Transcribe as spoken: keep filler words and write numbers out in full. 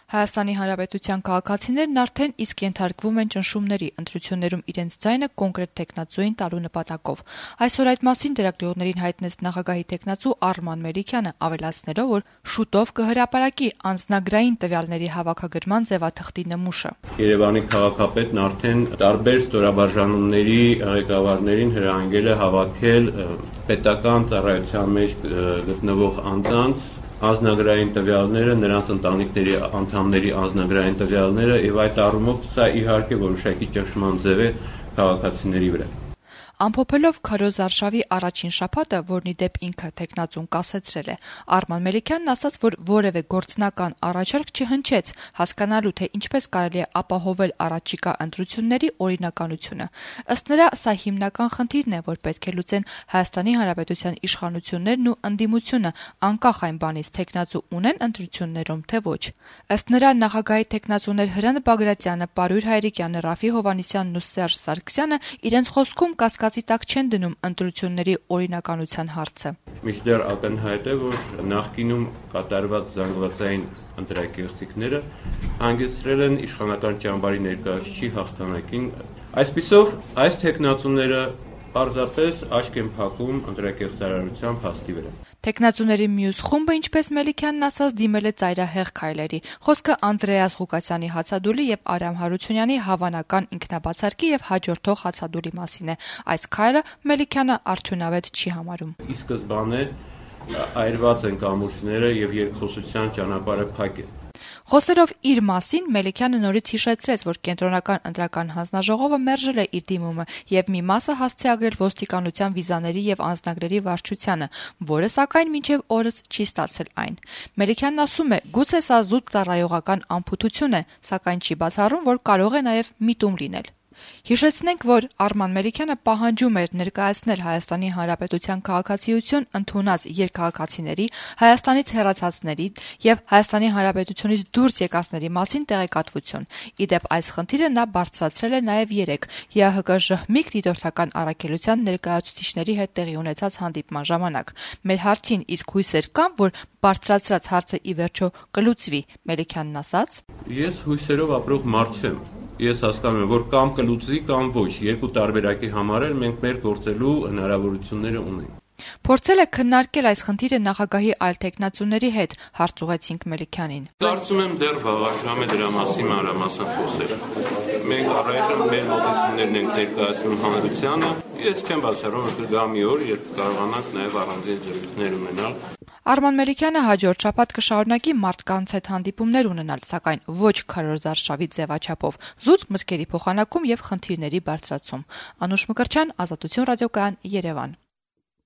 Հայաստանի Հանրապետության քաղաքացիներն արդեն իսկ ենթարկվում են ճնշումների, ընտրություններում իրենց ձայնը կոնկրետ թեկնածուին տալու նպատակով։ Այսօր այդ մասին լրագրողներին հայտնեց նախագահի թեկնածու Արման Մելիքյանը, ավելացնելով, որ շուտով կհրապարակի անձնագրային տվյալների հավաքագրման ձևաթղթի նմուշը։ Երևանի քաղաքապետն արդեն տարբեր ստորաբաժանումների ղեկավարներին հրահանգել է հավաքել պետական ծառայության մեջ գտնվող անձանց անձնագրային տվյալները, նրանց ընտանիքների անդամների անձնագրային տվյալները եւ այդ առումով սա իհարկե որոշակի ճնշման ձև է քաղաքացիների վրա։ Ամփոփելով Քարոզ Արշավի առաջին շաբաթը, որն ի դեպ ինքը թեկնածուն կասեցրել է, Արման Մելիքյանն ասաց, որ որևէ գործնական առաջարկ չհնչեց հասկանալու, թե ինչպես կարելի է ապահովել առաջիկա ընտրությունների օրինականությունը։ Ըստ նրա, սա հիմնական խնդիրն է, որ պետք է լուծեն Հայաստանի Հանրապետության իշխանություններն ու ընդդիմությունը, անկախ այն բանից թեկնածու ունեն ընտրություններում, թե ոչ։ Ըստ նրա, նախագահի թեկնածուներ Հրանտ Բագրատյանը, Պարույր Հայրիկյանը, Ռաֆի Հովհաննիսյանն ու Սերժ Սարգսյանը իրենց խոսքում կասկածի տակ չեն դնում ընտրությունների օրինականության հարցը։ Մինչդեռ ակնհայտ է, որ նախկինում կատարված զանգվածային ընտրակեղծիքները հանգեցրել են իշխանական ճամբարի ներկայացուցիչի հաղթանակին։ Այսպիսով, այս թեկնածուները պարզապես աչք են փակում ընտրակեղծարարության փաստի վրա։ Թեկնածուների մյուս խումբը, ինչպես Մելիքյանն ասաց, դիմել է ծայրահեղ քայլերի։ Խոսքը Անդրեաս Ղուկասյանի հացադուլի եւ Արամ Հարությունյանի հավանական ինքնաբացարկի եւ հաջորդող հացադուլի մասին է։ Այս քայլը Մելիքյանը արդյունավետ չի համարում։ Ի սկզբանե այրված են կամուրջները եւ երկխոսության ճանապարհը փակ է։ Խոսելով իր մասին, Մելիքյանը նորից հիշեցրեց, որ կենտրոնական ընտրական հանձնաժողովը մերժել է իր դիմումը եւ մի մասը հասցեագրել ոստիկանության վիզաների եւ անձնագրերի վարչությանը, որը սակայն մինչեւ օրս չի ստացել այն։ Մելիքյանն ասում է, գուցե սա զուտ ծառայողական անփութություն է, սակայն չի բացառում, որ կարող է նաեւ միտում լինել։ Հիշեցնենք, որ Արման Մելիքյանը պահանջում էր ներկայացնել Հայաստանի Հանրապետության քաղաքացիություն ընդունած երկհաղաքացիների, Հայաստանից հեռացածների եւ Հայաստանի Հանրապետությունից դուրս եկածների մասին տեղեկատվություն։ Ի դեպ, այս խնդիրը նա բարձրացրել է նաեւ երեկ ՀՀԿ ժհմիկ դիտորդական առաքելության ներկայացուցիչների հետ տեղի ունեցած հանդիպման ժամանակ։ Մեր հարցին իսկ հույսեր կան, որ բարձրացրած հարցը ի վերջո կլուծվի, Մելիքյանն ասաց. Ես հույսերով ապրող մարդ չեմ։ Ես հասկանում եմ, որ կամ կլուծվի, կամ ոչ։ Երկու տարբերակի համար էլ մենք մեր գործելու հնարավորությունները ունենք։ Փորձել է քննարկել այս խնդիրը նախագահի այլ թեկնածուների հետ, հարց ուղղեցինք Մելիքյանին։ Կարծում եմ դեռ վաղաժամ է դրա մասին մանրամասն խոսել։ Մենք առայժմ մեր մոտեցումներն ենք ներկայացնում հանրությանը։ Ես չեմ բացառում, որ կգա մի օր, երբ կարողանանք նաև առանձին զրույցներ ունենալ։ Արման Մելիքյանը հաջորդ շաբաթ կշարունակի մարդկանց հետ հանդիպումներ ունենալ, սակայն ոչ Քարոզ Արշավի ձևաչափով, զուտ մտքերի փոխանակում եւ խնդիրների բարձրացում։ Անուշ Մկրտչյան, Ազատություն ռադիոկայան, Երևան։